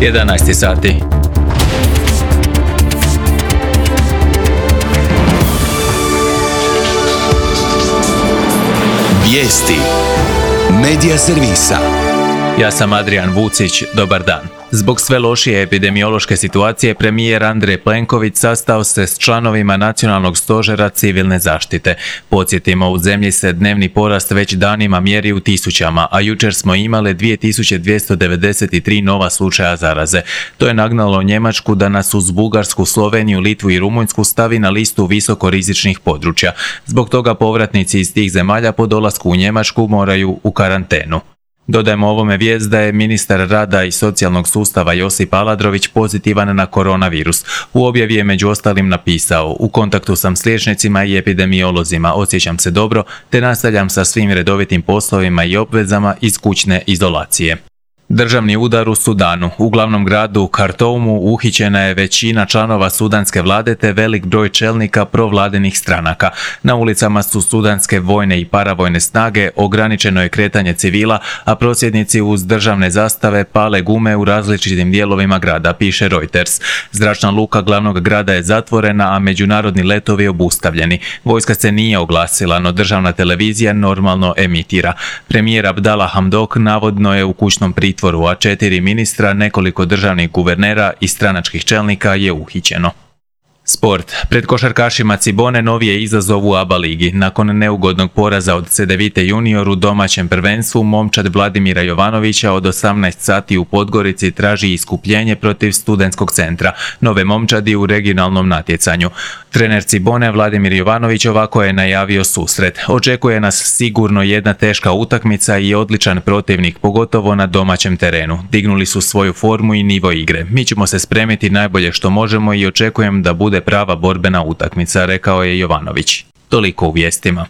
11 sati. Vijesti Medija servisa. Ja sam Adrian Vucić, dobar dan. Zbog sve lošije epidemiološke situacije, premijer Andrej Plenković sastao se s članovima Nacionalnog stožera civilne zaštite. Podsjetimo, u zemlji se dnevni porast već danima mjeri u tisućama, a jučer smo imali 2293 nova slučaja zaraze. To je nagnalo Njemačku da nas uz Bugarsku, Sloveniju, Litvu i Rumunjsku stavi na listu visokorizičnih područja. Zbog toga povratnici iz tih zemalja po dolasku u Njemačku moraju u karantenu. Dodajemo ovome vijest da je ministar rada i socijalnog sustava Josip Aladrović pozitivan na koronavirus. U objavi je među ostalim napisao: "U kontaktu sam s liječnicima i epidemiolozima, osjećam se dobro te nastavljam sa svim redovitim poslovima i obvezama iz kućne izolacije." Državni udar u Sudanu. U glavnom gradu Kartoumu uhićena je većina članova sudanske vlade te velik broj čelnika provladinih stranaka. Na ulicama su sudanske vojne i paravojne snage, ograničeno je kretanje civila, a prosvjednici uz državne zastave pale gume u različitim dijelovima grada, piše Reuters. Zračna luka glavnog grada je zatvorena, a međunarodni letovi obustavljeni. Vojska se nije oglasila, no državna televizija normalno emitira. Premijer Abdallah Hamdok navodno je u kućnom pritvoru, a 4 ministra, nekoliko državnih guvernera i stranačkih čelnika je uhićeno. Sport. Pred košarkašima Cibone novi je izazov u ABA ligi. Nakon neugodnog poraza od Cedevite junior u domaćem prvenstvu, momčad Vladimira Jovanovića od 18 sati u Podgorici traži iskupljenje protiv Studentskog centra, nove momčadi u regionalnom natjecanju. Trener Cibone Vladimir Jovanović ovako je najavio susret: "Očekuje nas sigurno jedna teška utakmica i odličan protivnik, pogotovo na domaćem terenu. Dignuli su svoju formu i nivo igre. Mi ćemo se spremiti najbolje što možemo i očekujem da bude prava borbena utakmica", rekao je Jovanović. Toliko u vijestima.